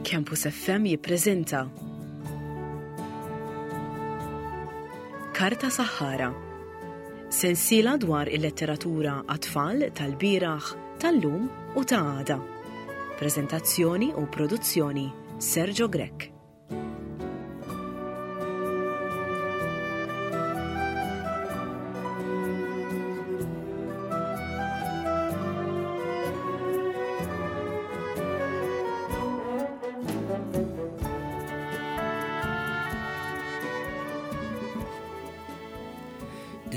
Campus FM jippreżenta Karta Saħħara. Sensiela dwar il-letteratura għat-tfal tal-bieraħ, tal-lum u ta' għada. Preżentazzjoni u produzzjoni Sergio Grech.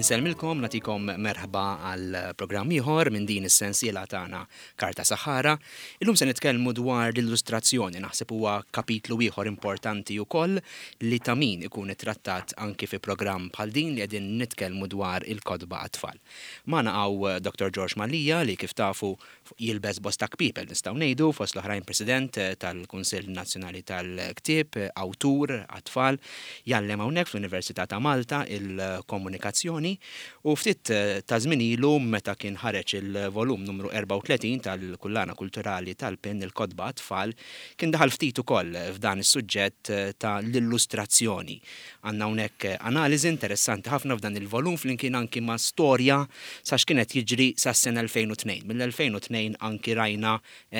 Insellmilkom natikom merħba għal programm ieħor minn din is-sensiela tagħna Karta Saħħara. Illum se nitkellmu dwar l-illustrazzjoni, naħseb huwa kapitlu ieħor importanti wkoll li ta' min ikun ittrattat anki fi programm bħal din li qegħdin nitkellmu dwar il-kotba għat-tfal. Magħna hawn Dottor George Mallia li kif tafu jilbes bosta kpiepel nistgħu ngħidu, fost l-oħrajn President tal-Kunsill Nazzjonali tal-Ktieb, awtur għat-tfal, jgħallem hawnhekk fl-Università ta' Malta il-Komunikazzjoni U ftit ta' żmien ilu meta kien ħareġ il-volum numru 34 tal-Kullana Kulturali tal-PIN Il-Kotba għat-Tfal, kien daħal ftit ukoll f'dan is-suġġett ta' l-illustrazzjoni. Għandna hawnhekk analiżi interessanti ħafna f'dan il-volum flimkien anki ma' storja sa x'kien qed jiġri sas-sena 2002. Mill-2002 anki rajna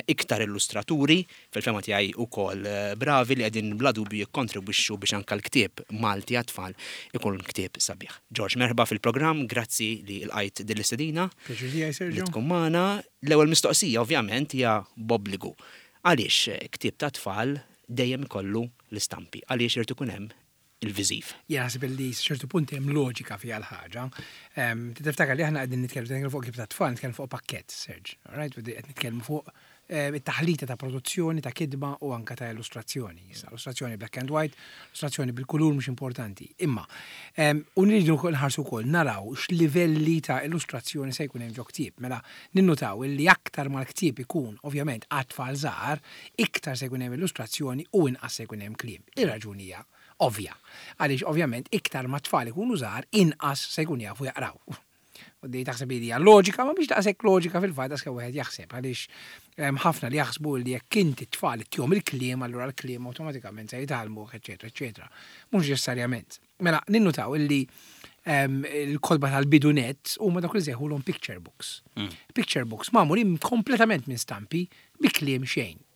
iktar illustraturi fil-fehma tiegħi wkoll bravi li qegħdin bla dubju jikkontribwixxu biex anke l-ktieb Malti għat-tfal ikun ktieb sabiħ. George, merħba fil-programm, grazzi li lqajt din l-istedina. Pjaċir tiegħi, Sergio. Li tkun magħna. L-ewwel mistoqsija ovvjament hija b'obbligu. Għaliex ktieb tat-tfal dejjem ikollu l-istampi? Għaliex irid ikun hemm il-viżiv. Jien naħseb li sa ċertu punt hemm loġika fiha l-ħaġa. Tiftakar li aħna qegħdin nitkellmu nitkellmu fuq kif ta' tfal, nitkellmu fuq pakkett, Serge. All right? Qed nitkellmu fuq it-taħlita ta' produzzjoni, ta' kitba u anka ta' illustrazzjoni. Issa, illustrazzjoni black and white, illustrazzjoni bil-kulur mhux importanti. Imma, u nridu nħarsu wkoll naraw x'livelli ta' illustrazzjoni se jkun hemm ġo ktieb. Mela, ninnutaw illi aktar ma l-ktieb ikun ovvjament għat-tfal żgħar, iktar se jkun hemm illustrazzjoni u inqas se jkun hemm kliem. Ir-raġuni hija ovvja, għaliex ovvjament iktar ma t-tfal ikunu żgħar inqas se jkunu jafu jaqraw. U di taħseb li hija loġika, ma mhix daqshekk loġika fil-fatt daqskemm wieħed jaħseb għaliex hemm ħafna li jaħsbu li jekk inti t-tfal ittihom il-kliem allura l-kliem awtomatikament se jitgħallmuh, eċċetera, eċċetera. Mhux neċessarjament. Mela, ninnutaw illi il-kotba tal-bidu nett huma dawk li sejħulhom picture books. Picture books magħmulin kompletament minn stampi bi kliem xejn.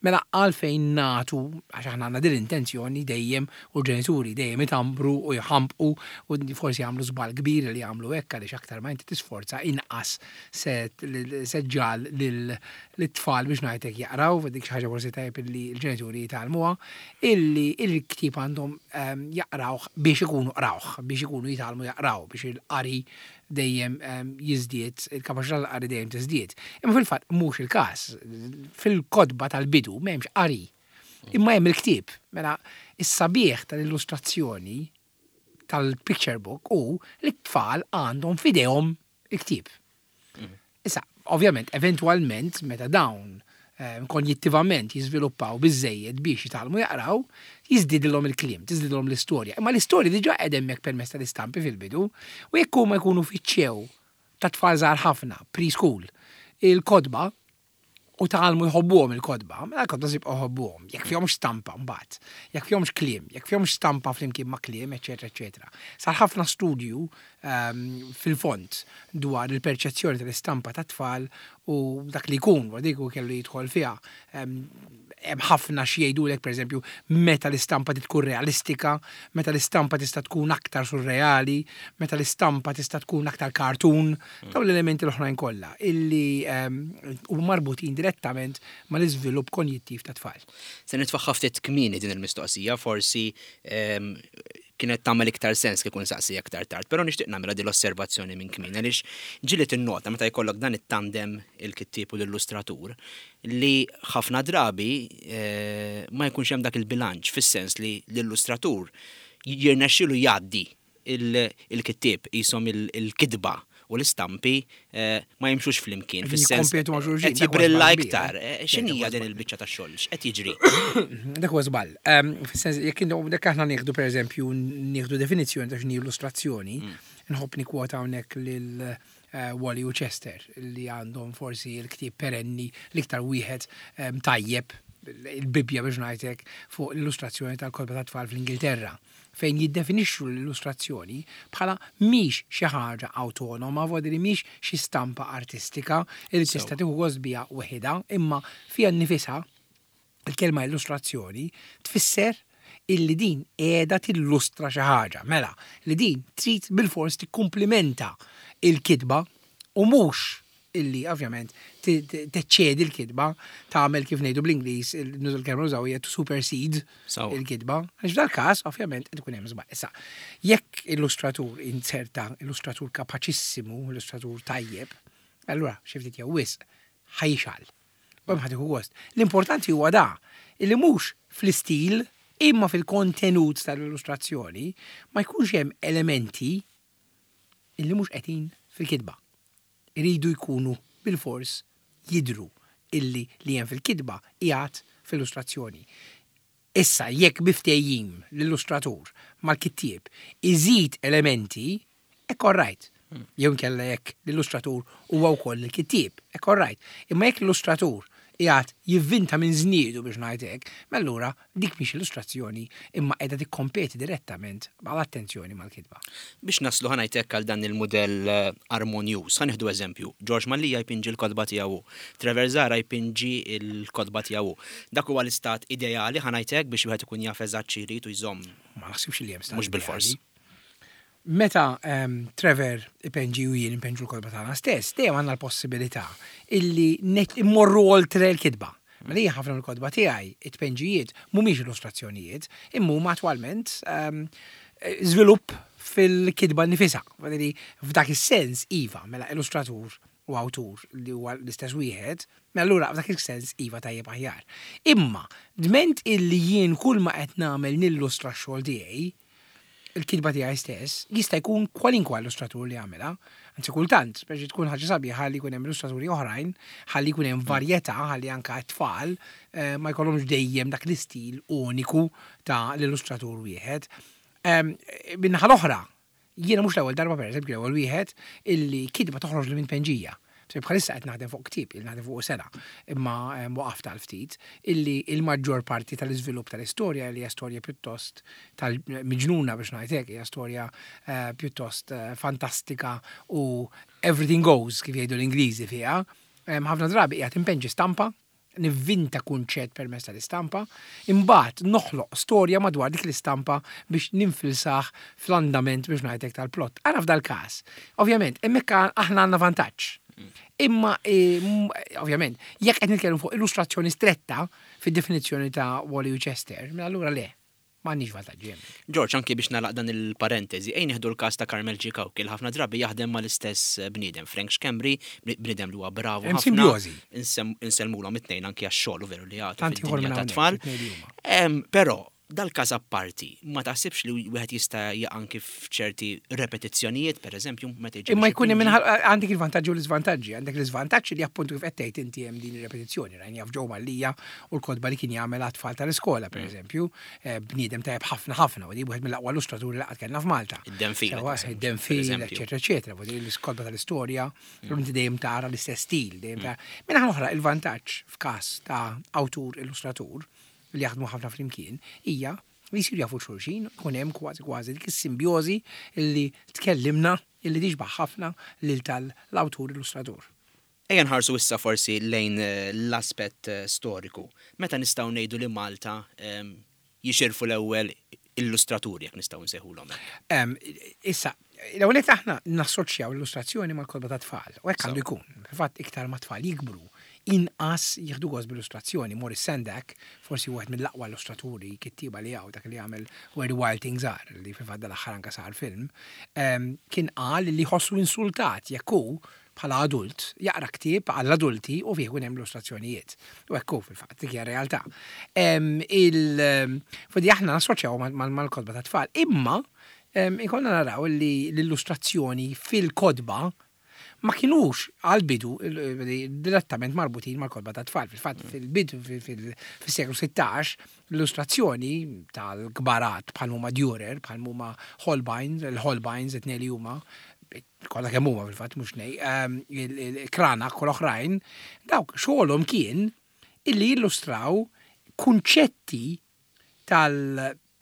Mela għalfejn nagħtu, għax aħna għandna din l-intenzjoni dejjem u l-ġenituri dejjem itambru u jħambqu u forsi jagħmlu żball kbir li jagħmlu hekk għaliex aktar ma inti tisforza inqas se se ġġagħal lit-tfal biex ngħid hekk jaqraw, dik xi ħaġa forsi tajjeb illi l-ġenituri jitgħallmuha, illi l-ktieb għandhom jaqrawh biex ikunu qrawh, biex ikunu jitgħallmu jaqraw, biex il-qari dejjem jiżdied, il-kapaċità tal-qari dejjem tiżdied. Imma fil-fatt mhux il-każ. Fil-kotba tal-bidu m'hemmx qari. Imma hemm il-ktieb. Mela, is-sabiħ tal-illustrazzjoni tal-picture book hu li t-tfal għandhom f'idejhom il-ktieb. Issa, ovvjament, eventwalment, meta dawn konjittivament jiżviluppaw biżżejjed biex jitgħallmu jaqraw, jiżdiedilhom il-kliem, tiżdidilhom l-istorja. Imma l-istorja diġà qiegħda hemmhekk permezz tal-istampi fil-bidu, u jekk huma jkunu fittxew ta' tfal żgħar ħafna, pre-school, il-kotba, u tgħallmu jħobbuhom il-kotba, mela l-kotba se jibqgħu jħobbuhom, jekk fihomx stampa mbagħad, jekk fihomx kliem, jekk fihomx stampa flimkien ma' kliem, eċċetera, eċċetera. Sar ħafna studju fil-fond dwar il-perċezzjoni tal-istampa tat-tfal u dak li jkun, wara dik kellu jidħol fiha. Hemm ħafna xi jgħidulek pereżempju meta l-istampa trid tkun realistika, meta l-istampa tista' tkun aktar surreali, meta l-istampa tista' tkun aktar cartoon, dawn l-elementi l-oħrajn kollha illi huma marbutin direttament mal-iżvilupp konjittiv tat-tfal. Se nitfagħha ftit kmieni din il-mistoqsija, forsi kienet tagħmel iktar sens kieku nsaqsiha iktar tard, però nixtieq nagħmilha din l-osservazzjoni minn kmieni għaliex ġieli tinnota meta jkollok dan it-tandem il-kittieb u l-illustratur li ħafna drabi ma jkunx hemm dak il-bilanċ fis-sens li l-illustratur jirnexxielu jgħaddi il-kittieb qishom il-kitba u l-istampi ma jimxux flimkien. Fis-sens Jikkompetu ma' xulxin. Qed jibrilla iktar. X'inhija din il-biċċa ta' xogħol? X'qed jiġri? Dak huwa żball. Fis-sens jekk dak aħna nieħdu pereżempju nieħdu definizzjoni ta' x'inhi illustrazzjoni, nħobb nikkwota hawnhekk lil Wally u Chester li għandhom forsi l-ktieb perenni l-iktar wieħed tajjeb. il-Bibbja biex ngħidlek fuq l-illustrazzjoni tal-kotba tat-tfal fl-Ingilterra, fejn jiddefinixxu l-illustrazzjoni bħala mhix xi ħaġa awtonoma, vuol dire mhix xi stampa artistika li tista' tieħu gost biha weħidha, imma fiha nnifisha il-kelma illustrazzjoni tfisser illi din qiegħda tillustra xi ħaġa. Mela, li din trid bilfors tikkumplimenta il-kitba u mhux illi ovvjament teċċedi l-kitba, tagħmel kif ngħidu bl-Ingliż, nuża l-kelma nużaw hija to supersede il-kitba. Għax f'dal-każ ovvjament qed ikun hemm żball. Issa, jekk illustratur inserta illustratur kapaċissimu, illustratur tajjeb, allura xi ftit jew wisq ħa jixgħal. U hemm ħa tieħu gost. L-importanti huwa da, illi mhux fl-istil imma fil-kontenut tal-illustrazzjoni ma jkunx hemm elementi illi mhux qegħdin fil-kitba. Iridu jkunu bilfors jidhru illi li hemm fil-kitba qiegħed fl-illustrazzjoni. Issa jekk bi ftehim l-illustratur mal-kittieb iżid elementi, hekk all right. Jew inkella jekk l-illustratur huwa wkoll il-kittieb, hekk all right. Imma jekk l-illustratur qiegħed jivvinta minn żniedu biex ngħid hekk, mela allura dik mhix illustrazzjoni imma qiegħda tikkompeti direttament għal attenzjoni mal-kitba. Biex naslu ħa ngħid hekk għal dan il-mudell armonjuż, ħa nieħdu eżempju, George Mallia jpinġi l-kotba tiegħu hu, Trevor Zahra jpinġi l-kotba tiegħu hu. Dak huwa l-istat ideali ħa ngħid hekk biex wieħed ikun jaf eżatt xi jrid u jżomm. Ma naħsibx li hemm stat Mhux bilfors. ideali. Meta Trevor ipenġi u jien inpenġu l-kotba tagħna stess, dejjem għandna l-possibilità illi immorru oltre l-kitba. Mela jien ħafna mill-kotba tiegħi, it-tpenġijiet mhumiex illustrazzjonijiet, imma huma attwalment żvilupp fil-kitba nnifisha. Vuol f'dak is-sens iva, mela illustratur u awtur li huwa l-istess wieħed, mela allura f'dak is-sens iva tajjeb aħjar. Imma dment illi jien kull ma qed nagħmel nillustra x-xogħol tiegħi, il-kitba tiegħi stess, jista' jkun kwalinkwa illustratur li jagħmilha. Anzi kultant, speċi tkun ħaġa sabiħa li jkun hemm illustraturi oħrajn, ħalli jkun hemm varjetà, ħalli anke t-tfal ma jkollhomx dejjem dak l-istil uniku ta' l-illustratur wieħed. Min-naħa l-oħra, jiena mhux l-ewwel darba pereżempju l-ewwel wieħed illi kitba toħroġ li minn tpenġija. Se bħalissa qed naħdem fuq ktieb, il naħdem fuq sena, imma waqaft għal ftit, illi il-maġġor parti tal-iżvilupp tal-istorja li hija storja pjuttost tal-miġnuna biex ngħid hekk, hija storja pjuttost fantastika u everything goes kif jgħidu l-Ingliżi fiha. Ħafna drabi qiegħed impenġi stampa, nivvinta kunċett permezz tal-istampa, imbagħad noħloq storja madwar dik l-istampa biex ninfilsah fl-andament biex ngħidlek tal-plott. Ara f'dal-każ, ovvjament, hemmhekk aħna għandna vantaġġ. Imma ovvjament, jekk qed nitkellmu fuq illustrazzjoni stretta fid-definizzjoni ta' Wally u Chester, mela allura le. M'għandniex vantaġġi hemmhekk. George, anki biex nagħlaq dan il-parentesi, ejja nieħdu l-każ ta' Carmel Cicauchi li ħafna drabi jaħdem mal-istess bniedem, Frank Schembri, bniedem li huwa bravu Hemm ħafna. simbjożi. Insellmulhom it-tnejn anki għax-xogħol u veru li jagħtu Tant ieħor fid-dinja minn hawnhekk, tat-tfal. it-tnejn li huma. Però, dal-każ apparti, ma taħsibx li wieħed jista' jaqa' anki f'ċerti repetizzjonijiet, per eżempju, meta jiġi Imma biex jkun hemm ipinġi? għandek il-vantaġġi u l-iżvantaġġi. Għandek l-iżvantaġġ li appuntu kif qed tgħid inti hemm din ir-repetizzjoni. Rajna f'Joe Mallia u l-kotba li kien jagħmel għat-tfal tal-iskola, per eżempju, bniedem tajjeb ħafna ħafna, u di wieħed mill-aqwa illustraturi li qatt kellna f'Malta. Id-Denfil, Sewa, per id-Denfil, eżempju. eċetera, eċetera. Vuol dire l-iskotba tal-istorja, inti dejjem tara l-istess stil, dejjem tara. Minn oħra, il-vantaġġ f'każ ta' awtur illustratur li jaħdmu ħafna flimkien hija li jsiru jafu xulxin, ikun hemm kważi kważi dik is-simbjożi li tkellimna illi tixbaħ ħafna lil tal-awtur illustratur. Ejja nħarsu issa forsi lejn l-aspett storiku. Meta nistgħu ngħidu li Malta jixirfu l-ewwel illustraturi, jekk nistgħu nsejħulhom hekk? Issa, l-ewwel nett aħna nassoċjaw l-illustrazzjoni mal-kotba ta' tfal, u hekk għandu jkun. Fil-fatt iktar ma tfal jikbru, inqas jieħdu gost bl-illustrazzjoni. Maurice Sendak, forsi wieħed mill-aqwa illustraturi kittieba li hawn, dak li għamel Where the Wild Things Are, li fil-fatt dal-aħħar anke sar film, kien qal li jħossu insultat jekk hu bħala adult jaqra ktieb għall-adulti u fih ikun hemm illustrazzjonijiet. U hekk hu fil-fatt, dik hija realtà. Fodi aħna nassoċjaw mal-kotba ta' tfal, imma ikollna naraw li l-illustrazzjoni fil-kotba ma kienux għal-bidu direttament marbutin mal-kotba ta' tfal. Fil-fatt, fil-bidu, fil-seklu 16, l-illustrazzjoni tal-kbarat bħal huma Dürer, bħal huma Holbein, il-Holbeins, it-tnejn li huma, kollha kemm huma fil-fatt mhux nej, il-Cranach u l-oħrajn, dawk xogħolhom kien illi jillustraw kunċetti tal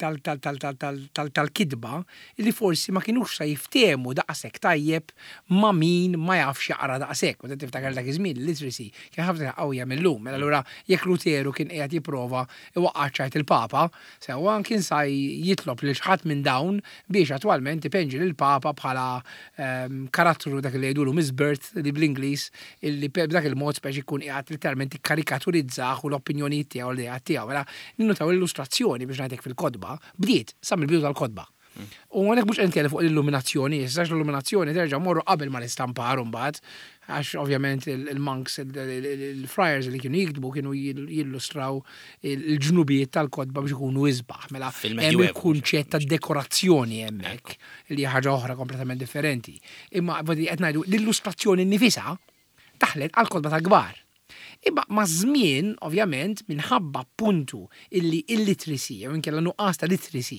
tal-kitba li forsi ma kinux sa jiftehmu daqshekk tajjeb ma' min ma jafx jaqra daqshekk. U tiftakar dak iż-żmien il-literacy kien ħafna qawwija mil-lum. Mela allura jekk Luteru kien qiegħed jipprova iwaqqa' ċajt il-Papa, sewwa kien sa jitlob lil xi ħadd minn dawn biex attwalment ipenġi lill-Papa bħala karattru dak li jgħidulu misbirth li bl-Ingliż illi b'dak il-mod speċi jkun qiegħed letteralment ikkarikaturizzah u l-opinjonijiet tiegħu u l-ideat tiegħu. Mela ninnutaw l-illustrazzjoni biex ngħidlek fil-kotba bdiet sa mill-bidu tal-kotba. U hawnhekk mhux qed nitkellem fuq l-illuminazzjoni issa għax l-illuminazzjoni terġa' mmorru qabel mal-istampar imbagħad għax ovvjament il-monks, il-friars li kienu jiktbu kienu jillustraw il-ġnubijiet tal-kotba biex ikunu isbaħ. Mela hemm il-kunċett ta' dekorazzjoni hemmhekk li hija ħaġa oħra kompletament differenti. Imma qed ngħidu l-illustrazzjoni nnifisha daħlet għall-kotba tal-kbar. Imma maż-żmien, ovvjament, minħabba appuntu illi illiteracy jew inkella nuqqas ta' literacy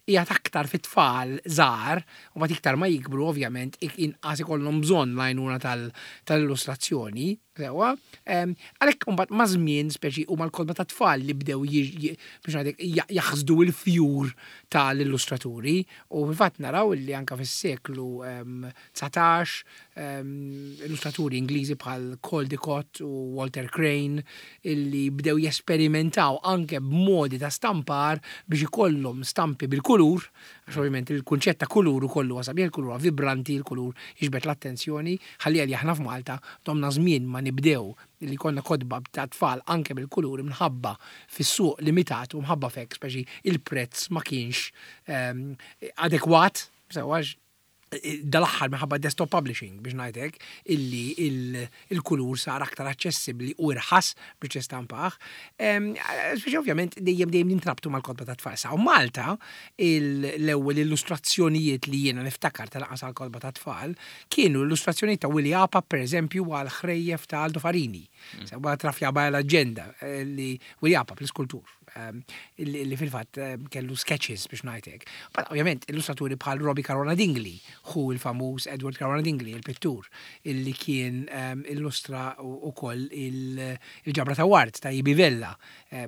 qiegħed aktar fit-tfal żgħar, u mbagħad iktar ma jikbru ovvjament inqas ikollhom bżonn l-għajnuna tal-illustrazzjoni, sewwa, għalhekk imbagħad maż-żmien speċi huma l-kotba tat-tfal li bdew biex ngħidlek jaħsdu l-fjur tal-illustraturi u fil-fatt naraw illi anke fis-seklu 19, illustraturi Ingliżi bħal Caldecott u Walter Crane illi bdew jesperimentaw anke b'modi ta' stampar biex ikollhom stampi bil-kulur, għax ovvjament il-kunċett ta' kulur ukoll huwa sabiħ, il-kulur huwa vibranti, il-kulur jiġbed l-attenzjoni, ħalli għalli aħna f'Malta domna żmien ma nibdew li jkollna kotba ta' tfal anke bil-kulur minħabba fis-suq limitat u mħabba f'hekk speċi il-prezz ma kienx adekwat, sewwa dal-aħħar minħabba desktop publishing biex ngħid hekk, illi il-kulur sar aktar aċċessibbli u irħas biex tistampah. Speċi ovvjament dejjem dejjem nintrabtu mal-kotba ta' tfal. Sa Malta l-ewwel illustrazzjonijiet li jiena niftakar tal-anqas għall-kotba ta' tfal kienu illustrazzjonijiet ta' Willie Apap pereżempju għal ħrejjef ta' Aldo Farini. Sewwa Trafja Baja l-Aġenda li Willie Apap l-iskultur. Ehm, li fil-fatt ehm, kellu sketches biex ngħidlek. But ovvjament illustraturi bħal Robbie Caruana Dingli, hu il-famuż Edward Caruana Dingli, il-pittur, illi kien ehm, illustra ukoll il-ġabra ta' Ward ta' Ibi Vella.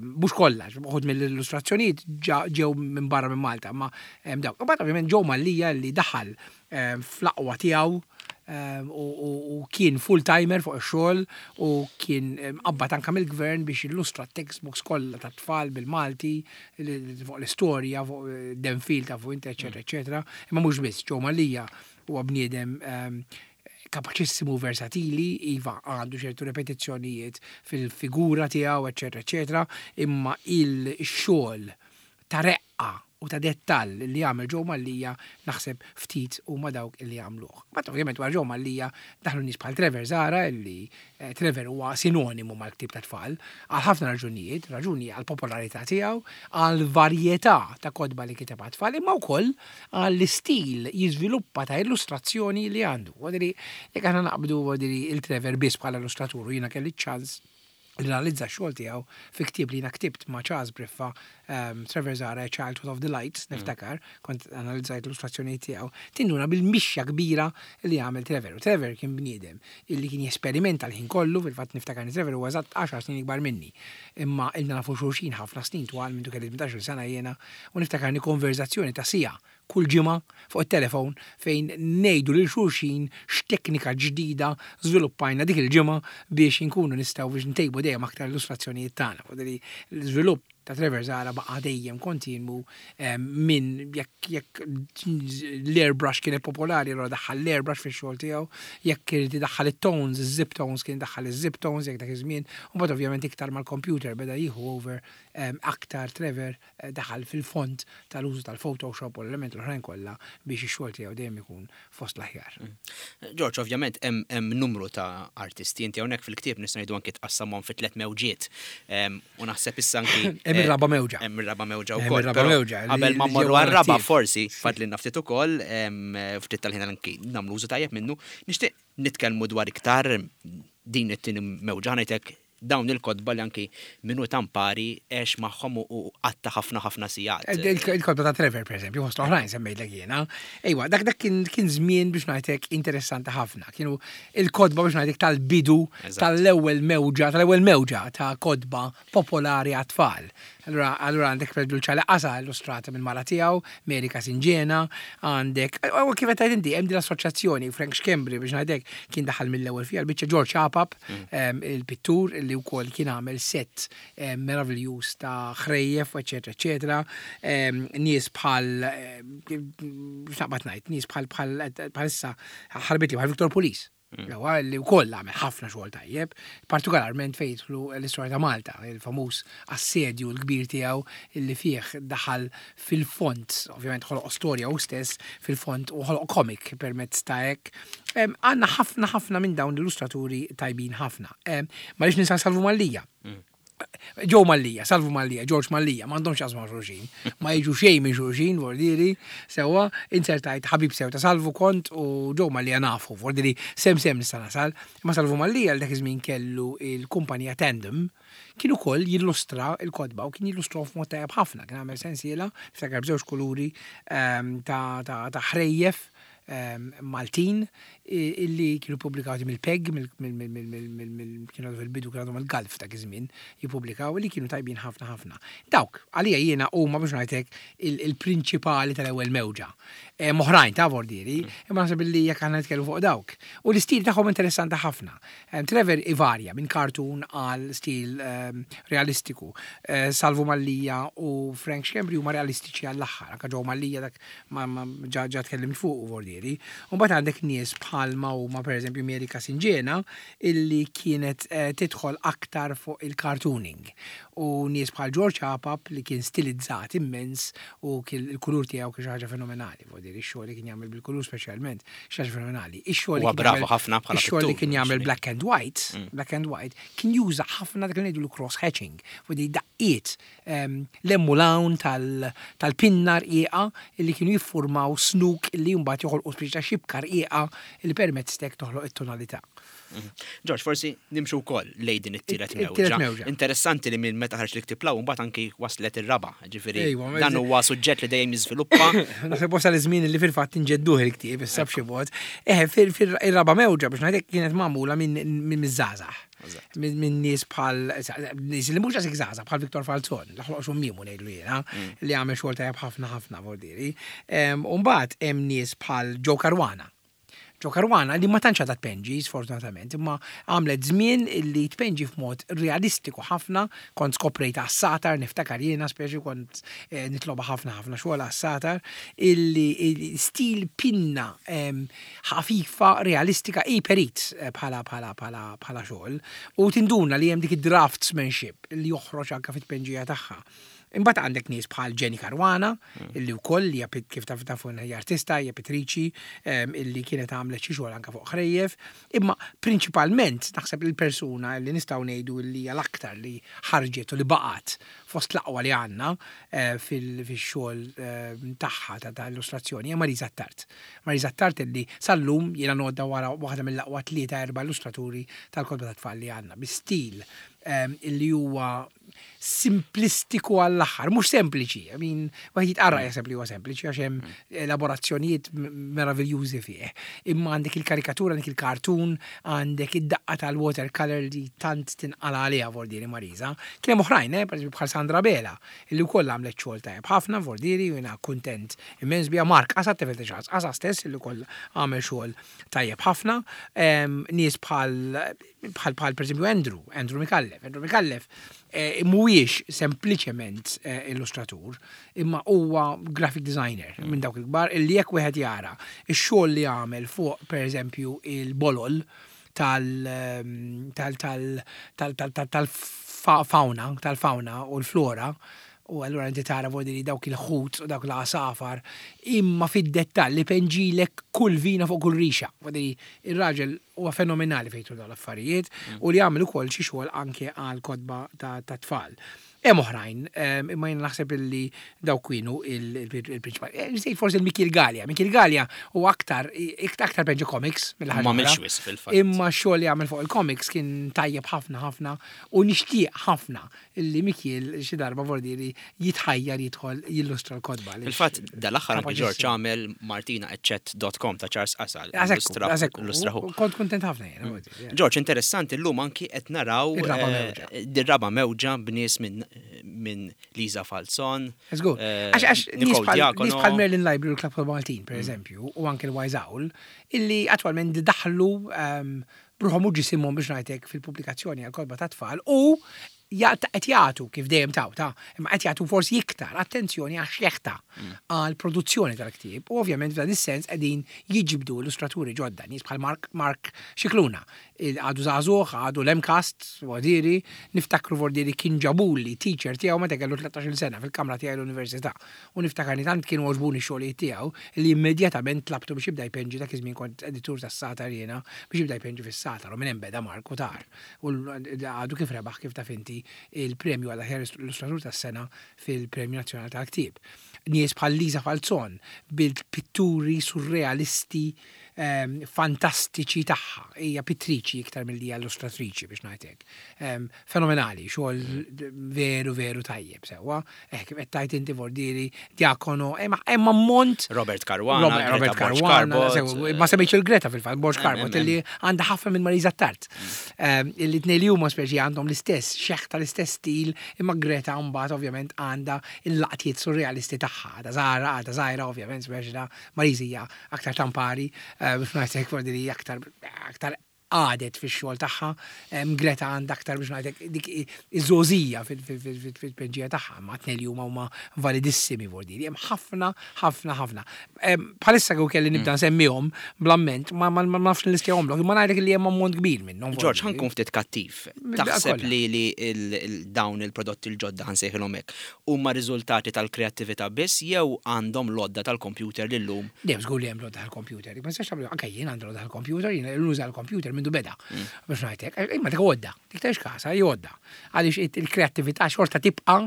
Mhux kollha, uħud mill-illustrazzjonijiet ġew minn barra minn Malta, ma dawk. U ovvjament Joe Mallia li daħal fl-aqwa tiegħu u kien full-timer fuq ix-xogħol u kien mqabbad anke mill-gvern biex jillustra t-textbooks kollha tat-tfal bil-Malti fuq l-istorja, fuq Denfil tafu inti, eċetera, eċetera. Imma mhux biss, Joe Mallia huwa bniedem kapaċissimu versatili, iva għandu ċertu repetizzjonijiet fil-figura tiegħu, eċetera, eċetera, imma il-xogħol ta' reqqa u ta' dettall li għamel Joe Mallia naħseb ftit huma dawk li għamluh. Mbagħad ovvjament wara Joe Mallia daħlu nies bħal Trevor Zahra li Trevor huwa sinonimu mal-ktieb tat-tfal għal ħafna raġunijiet, raġuni għall-popolarità tiegħu, għall-varjetà ta' kotba li kiteb għat-tfal imma wkoll għall-istil jiżviluppa ta' illustrazzjoni li għandu. Jekk aħna naqbdu il-Trevor biss bħala illustratur u jiena kelli ċ-ċans li nanalizza x-xogħol tiegħu fi ktieb li jiena ktibt ma' Charles Briffa, um, Trevor Zara, A Childhood of the Lights, mm. niftakar, kont analizzajt l-illustrazzjonijiet tiegħu, tinduna bil-mixja kbira li għamel Trevor. U Trevor kien bniedem illi kien jesperimenta l-ħin kollu, fil-fatt niftakar li Trevor huwa eżatt 10 snin ikbar minni. Imma ilna nafu xulxin ħafna snin twal minn kelli 18 sena jiena u niftakarni konverzazzjoni ta' sija kull ġimgħa fuq it-telefon fejn ngħidu lil xulxin x'teknika ġdida żviluppajna dik il-ġimgħa biex inkunu nistgħu biex ntejbu dejjem aktar l-illustrazzjonijiet tagħna. L-iżvilupp ta' Trevor Zahra baqa' dejjem kontinwu minn jekk jekk l-airbrush kienet popolari allura daħħal l-airbrush fix-xogħol tiegħu, jekk irid idaħħal it-tones, iż-zip tones kien idaħħal iż-zip tones jekk dak iż-żmien, u mbagħad ovvjament iktar mal-computer beda jieħu over aktar Trevor daħal fil-fond tal-użu tal-Photoshop u l-elementi l-oħrajn kollha biex ix-xogħol tiegħu dejjem ikun fost l-aħjar. Ġorġ, ovvjament hemm numru ta' artisti, inti hawnhekk fil-ktieb nista' ngħidu anki tqassamhom fi tliet mewġiet. U naħseb issa anki. Hemm ir-raba' mewġa. Hemm ir-raba' mewġa wkoll. Hemm ir-raba' mewġa. Qabel ma mmorru għar-raba' forsi fadlilna ftit ukoll, ftit tal-ħin anki nagħmlu użu tajjeb minnu, nixtieq nitkellmu dwar iktar din it-tieni mewġa, ħa ngħidlek. dawn il-kotba li anki min hu tampari għex magħhom u qatta' ħafna ħafna sigħat. Il-kotba ta' Trevor, per eżempju, fost l-oħrajn semmejtlek jiena. Ejwa, dak dak kien żmien biex ngħidlek interessanti ħafna. Kienu il-kotba biex ngħidlek tal-bidu tal-ewwel mewġa, tal-ewwel mewġa ta' kotba popolari għat-tfal. Allura, allura għandek per eżempju Ċali Qasa illustrata minn mara tiegħu, Mary Casingena, għandek, u kif qed tgħid inti, hemm din l-assoċjazzjoni, Frank Schembri biex ngħidlek kien daħal mill-ewwel fiha l-biċċa George Apap, il-pittur li wkoll kien għamel set meraviljuż ta' ħrejjef, eċetera, eċetera. Nies bħal x'naqbad ngħid, nies bħal bħal bħalissa ħarbitli bħal Victor Pulis. Ewa, li wkoll għamel ħafna xogħol tajjeb, partikolarment fejn jidħlu l-istorja ta' Malta, il-famuż assedju l-kbir tiegħu li fih daħal fil-fond, ovvjament ħoloq storja hu stess fil-fond u ħoloq komik permezz ta' hekk. Għandna ħafna ħafna minn dawn l-illustraturi tajbin ħafna. Ma rridx ninsa Salvu Mallia. Joe Mallia, Salvu Mallia, George Mallia, m'għandhomx x'jaqsmu ma' xulxin. Ma jiġu xejn minn xulxin, vordieri, sewwa, inzertajt ħabib sew ta' Salvu kont u Joe Mallia nafu, vordieri sem sem nista' nasal. Imma Salvu Mallia li dak iż-żmien kellu il-kumpanija Tandem, kien ukoll jillustra l-kotba u kien jillustrahom f'mod tajjeb ħafna, kien għamel sensiela, niftakar b'żewġ kuluri ta' ħrejjef Maltin illi kienu pubblikati mill-PEG, kienu għadu fil-bidu kienu għadhom il-Gulf dak iż-żmien jippubblikaw li kienu tajbin ħafna ħafna. Dawk, għalija jiena huma biex ngħidlek il-prinċipali tal-ewwel mewġa. Oħrajn ta' vordieri, imma naħseb illi jekk aħna nitkellmu fuq dawk. U l-istil tagħhom interessanti ħafna. Trevor ivarja minn cartoon għal stil realistiku. Salvu Mallia u Frank Schembri huma realistiċi għall-aħħar. Anke Joe Mallia dak ma ġa ġa tkellimt fuqu vordieri. U mbagħad għandek nies bħalma huma pereżempju Mary Casingena illi kienet tidħol aktar fuq il-cartooning. U nies bħal George Apap li kien stilizzat immens u kien il-kulur tiegħu kien xi ħaġa fenomenali, vordieri x-xogħol li kien jagħmel bil-kulur speċjalment xi ħaġa fenomenali. Ix-xogħol li Huwa kien bravu jagħmel ħafna bħala ix-xogħol li pittur, kien jagħmel actually. black and white, black and white, kien juża ħafna dak li ngħidulu cross hatching, vordieri daqqiet 'l hemm u 'l hawn tal-pinna rqiqa li kienu jiffurmaw snuk li mbagħad joħolqu speċi ta' xibka rqiqa li permezz t'hekk toħloq it-tonalità. Ġorġ, forsi nimxu wkoll lejn din it-tielet mewġa. It-tielet mewġa. Interessanti li minn meta ħareġ l-ktieb 'l hawn mbagħad anki waslet ir-raba', ġifieri dan Ejwa, huwa suġġett li dejjem jiżviluppa. Naħseb wasal iż-żmien li fil-fatt inġedduh il-ktieb issa b'xi mod. Eħe, fir-raba' mewġa biex ngħidlek kienet magħmula minn miż-żgħażagħ. Minn nies bħal, nies li mhux daqshekk żgħażagħ bħal Victor Falzon, l-ħloq xummiemu ngħidlu jiena, li għamel xogħol tajjeb ħafna ħafna vordieri. U mbagħad hemm nies bħal Joe Caruana. Joe Caruana li ma tantx għadha tpenġi, sfortunatament, imma għamlet żmien li tpenġi f'mod realistiku ħafna, kont skoprejt għas-satar, niftakar jiena speċi kont nitloba ħafna ħafna xogħol għas-satar, illi stil pinna ħafifa, realistika, hi perit bħala bħala bħala bħala xogħol u tinduna li hemm dik id-draftsmanship li joħroġ anke fit-tpenġija tagħha. Imbagħad għandek nies bħal Jenny Caruana, illi wkoll hija kif taf tafu hija artista, hija pittriċi, illi kienet għamlet xi xogħol anke fuq ħrejjef, imma prinċipalment naħseb il-persuna li nistgħu ngħidu li hija l-aktar li ħarġet u li baqgħet fost l-aqwa li għandna fil-xogħol tagħha ta' illustrazzjoni hija Marisa Attard. Marisa Attard illi sal-lum jiena ngħoddha wara waħda mill-aqwa tlieta erba' illustraturi tal-kotba tat-tfal li għandna, bi stil illi huwa simplistiku għall-aħħar, mhux sempliċi, I mean, wieħed jitqarraq jaħseb li huwa sempliċi għax hemm elaborazzjonijiet meraviljużi fih. Imma għandek il-karikatura, għandek il-cartoon, għandek id-daqqa tal-watercolor li tant tinqala' għaliha Vordieri Marisa. Kien hemm oħrajn, pereżempju bħal Sandra Bela, illi wkoll għamlet xogħol tajjeb ħafna Vordieri u jiena kuntent immens biha. Mark Qasa, tifel ta' Charles Qasa stess, illi wkoll għamel xogħol tajjeb ħafna. Nies bħal bħal bħal pereżempju Andrew, Andrew Micallef. Andrew Micallef mhuwiex sempliċement illustratur, imma huwa graphic designer minn dawk il-kbar illi jekk wieħed jara x-xogħol li għamel fuq pereżempju il-bolol tal tal tal tal tal tal tal-fauna, tal-fauna u l-flora, u allura inti tara vuol dire dawk il-ħut u dawk l-għasafar, imma fid-dettall li penġilek kull vina fuq kull rixa. Vuol dire ir-raġel huwa fenomenali fejn jidħlu dawn l-affarijiet u li għamel ukoll xi xogħol anke għal kotba ta' tfal. Hemm oħrajn, imma jien naħseb illi dawk kienu il-prinċipali. Eh, Nsejt forsi il-Mikil Gallia. Mikil Gallia u aktar, aktar penġi comics mill-ħaġa. Ma għamilx wisq fil-fatt. Imma x-xogħol li għamel fuq il-comics kien tajjeb ħafna ħafna u nixtieq ħafna illi Mikiel xi darba vordieri jitħajjar jidħol jillustra l-kotba. Fil-fatt dal-aħħar anki Ġorġ għamel Martina Eccet.com ta' Charles Qasal. Illustrahu. Kont kuntent ħafna jien. Mm. Ġorġ, interessanti llum anki qed naraw dir-raba' mewġa b'nies minn Liza Falzon. Żgur. Għax għax nies bħal Merlin Library u l-Club Maltin, per eżempju, u anke l-Wise Owl, illi attwalment daħlu ehm, b'ruħhom u ġisimhom biex ngħid hekk fil-pubblikazzjoni għal kotba tat-tfal u qed jagħtu kif dejjem taw ta' imma qed jagħtu forsi iktar attenzjoni għax-xeħta mm. għal produzzjoni tal-ktieb u ovvjament f'dan is-sens qegħdin jiġbdu illustraturi ġodda nies bħal Mark Mark Xikluna għadu żagħżugħ għadu l-MCAST Vordiri niftakru Vordiri kien ġabuli teacher tiegħu meta kellu 13-il sena fil-kamra tiegħi l-università U niftakarni tant kienu għoġbuni x-xogħlijiet tiegħu li immedjatament tlabtu biex jibda jpenġi dak iż-żmien kont editur tas-Sagħtar jiena biex jibda jpenġi fis-Sagħtar u minn hemm beda Mark u tar. U għadu kif rebaħ kif taf inti il-premju għal aħjar illustratur tas-sena fil-Premju Nazzjonali tal-Ktieb. Nies bħal Liza Falzon bil-pitturi surrealisti fantastiċi tagħha. Hija pittriċi iktar milli hija illustratriċi biex ngħid hekk. Fenomenali, xogħol veru veru tajjeb sewwa. Eh, kif qed tgħid inti Vordieri, Diacono, hemm ammont. Robert Caruana, Robert Caruana, ma semmejtx il-Greta fil-fatt, Borg Carbot, illi għandha ħafna minn Marisa Tart. Illi tnej li huma speċi għandhom l-istess xeħta l-istess stil, imma Greta mbagħad ovvjament għandha il-laqtiet surrealisti tagħha, għadha żgħira, għadha żgħira ovvjament speċi ta' Marisa hija aktar tampari, biex ngħid hekk Vordieri aktar aktar qagħdet fix-xogħol tagħha, Greta għandha aktar biex ngħidlek dik iż-żgħożija fil-tpenġija tagħha, imma t-tnejn li huma huma validissimi vuol dire. Hemm ħafna, ħafna, ħafna. Bħalissa kieku kelli nibda nsemmihom bl-amment, ma nafx nlistjahomlok, imma ngħidlek li hemm ammont kbir minnhom. Ġorġ, ħa nkun ftit kattiv. Taħseb li dawn il-prodotti l-ġodda ħa nsejħilhom hekk, huma riżultati tal-kreattività biss jew għandhom l-għodda tal-kompjuter li llum. Le, żgur li hemm l-għodda tal-kompjuter. Ma nistax tagħmlu, anke jien għandi l-għodda tal-kompjuter, jiena nuża l-kompjuter mindu beda. Mm. Biex ngħidlek, imma dik għodda, dik tgħix kasa, hi għodda. Għaliex il-kreattività xorta tibqa'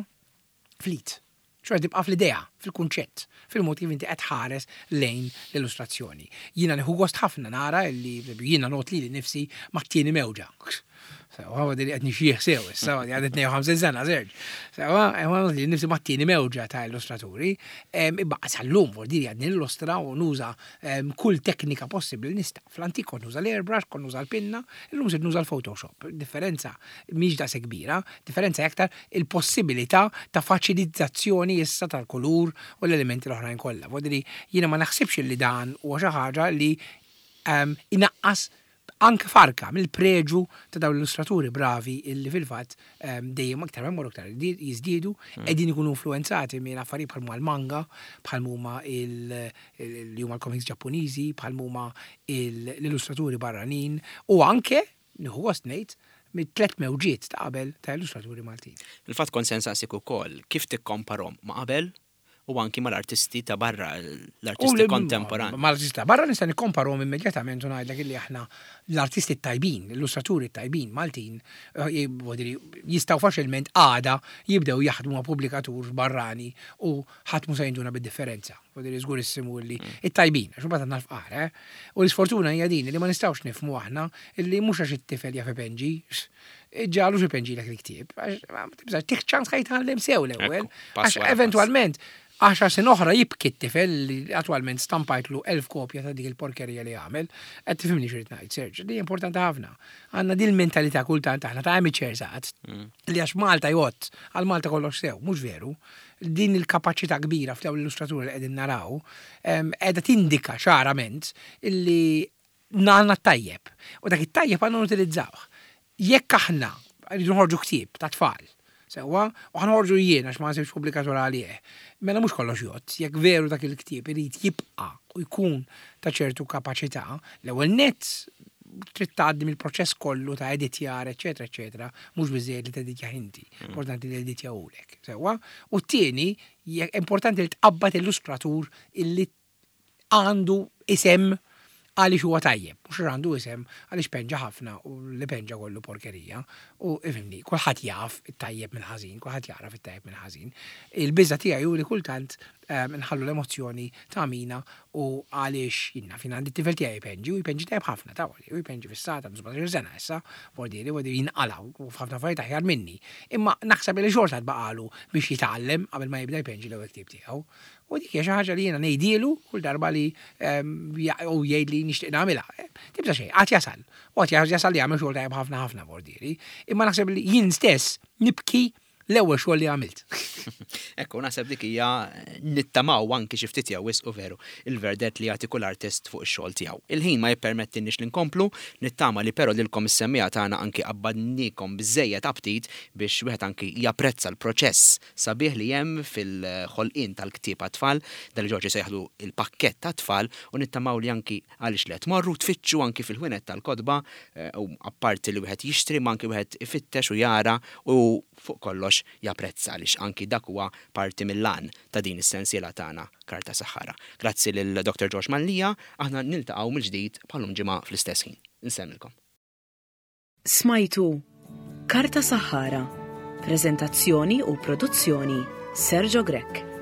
flit. Xorta tibqa' fl-idea, fil-kunċett, fil-mod kif inti qed tħares lejn l-illustrazzjoni. Jiena nieħu gost ħafna nara li jiena ngħodd lili nnifsi mat-tieni mewġa. Sewwa, għadi li qed nixjieħ sew issa, għadi għandi 52 sena, Serġ. Sewwa, ngħodd lili nnifsi mat-tieni mewġa ta' illustraturi. Imma sal-lum, vuol dire għadni nillustra u nuża kull teknika possibbli li nista'. Fl-antik kont nuża l-airbrush, kont nuża l-pinna, illum sirt nuża l-Photoshop. Differenza mhix daqshekk kbira, differenza hija aktar il-possibilità ta' faċilizzazzjoni issa tal-kulur u l-elementi l-oħrajn kollha. Vuol dire jiena ma naħsibx li dan huwa xi ħaġa li inaqqas anke farka mill-preġu ta' dawn l-illustraturi bravi illi fil-fatt dejjem iktar ma jmorru iktar jiżdiedu, qegħdin ikunu influwenzati minn affarijiet bħal huma l-manga, bħal huma li huma l-comics Ġappuniżi, bħal huma l-illustraturi barranin u anke, nieħu gost ngħid, mit-tlett mewġiet ta' qabel ta' illustraturi Maltin. Fil-fatt kont se nsaqsik ukoll kif tikkomparhom ma' qabel u anki mal-artisti ta' barra, l-artisti kontemporanji. Mal-artisti ta' barra nista' nikkomparhom immedjatament u ngħidlek illi aħna l-artisti t-tajbin, l-illustraturi t-tajbin Maltin, eh, jistgħu faċilment għada jibdew jaħdmu ma' pubblikatur barrani u ħadd mhu se jinduna bid-differenza. Vuol żgurissimu illi mm. it-tajbin, għax imbagħad għandna l-fqar, eh? U l-isfortuna hija din li ma nistgħux nifhmu aħna illi mhux għax it-tifel jaf ipenġi, ġalu xi penġilek il-ktieb, għax tih ċans ħaj jitgħallem sew l-ewwel. Għax eventwalment, għaxar sin oħra jibki t-tifel li attwalment stampajtlu 1000 kopja ta' dik il-porkerija li għamel, qed tifhimni x'rid ngħid, Serge, li importanti ħafna. Għandna din il-mentalità kultant aħna ta' amateurs għad, mm. li għax Malta jgħod, għal Malta kollox sew, mhux veru. Din il-kapaċità kbira f'dawn l-illustraturi li qegħdin naraw, qiegħda tindika ċarament illi għandna t-tajjeb. U dak it-tajjeb għandna nutilizzawh. Jekk aħna rridu nħorġu ktieb ta' tfal, sewwa, u ħa noħorġu jien għax ma nsibx pubblikatur għalih, mela mhux kollox jgħodd. Jekk veru dak il-ktieb irid jibqa' u jkun ta' ċertu kapaċità, l-ewwel nett trid tgħaddi mill-proċess kollu ta' editjar, eċċetera, eċċetera, mhux biżżejjed li teditjah inti, importanti li jeditjahulek, sewwa? U t-tieni, importanti li tqabbad illustratur illi għandu isem għaliex huwa tajjeb, mhux Mhux għandu isem għaliex penġa ħafna u li penġa kollu porkerija. U ifhimni, kulħadd jaf it-tajjeb mill-ħażin, kulħadd jagħraf it-tajjeb mill-ħażin. Il-biża' tiegħi hu li kultant nħallu l-emozzjoni tagħmina u għaliex jien naf jien għandi t-tifel tiegħi jpenġi u jpenġi tajjeb ħafna ta' u jpenġi fis-sata għandu 17 sena issa, vordieri, vordieri jinqala' u f'ħafna affarijiet aħjar minni. Imma naħseb li xorta tbaqalu biex jitgħallem qabel ma jibda jpenġi l-ewwel ktieb tiegħu. U dik hija xi ħaġa li jiena ngħidielu kull darba li u jgħid li nixtieq nagħmilha. Tibża' xejn, għad jasal. U għad jasal li jagħmel xogħol tajjeb ħafna ħafna vordieri. Imma naħseb li jien stess nibki l-ewwel xogħol li għamilt. Ekku, naħseb dik hija nittamaw anki xi ftit jew wisq u veru il-verdett li jagħti kull artist fuq ix-xogħol tiegħu. Il-ħin ma jippermettilniex li nkomplu, nittama li però lilkom is-semmiegħa tagħna anki qabbadniekom biżżejjed aptit biex wieħed anki japprezza l-proċess sabiħ li hemm fil-ħolqien tal-ktieb għat-tfal, dan li Ġorġ isejjaħlu l-pakkett għat-tfal u nittamaw li anki għaliex le tmorru tfittxu anki fil-ħwienet tal-kotba u apparti li wieħed jixtri imma anki wieħed ifittex u jara u fuq kollox japprezza għaliex anki dak huwa parti mill-għan ta' din is-sensiela tagħna Karta Saħħara. Grazzi lil Dr. George Mallia, aħna niltaqgħu mill-ġdid bħal-lum ġimgħa fl-istess ħin. Insellmilkom. Smajtu Karta Saħħara, preżentazzjoni u produzzjoni Sergio Grech.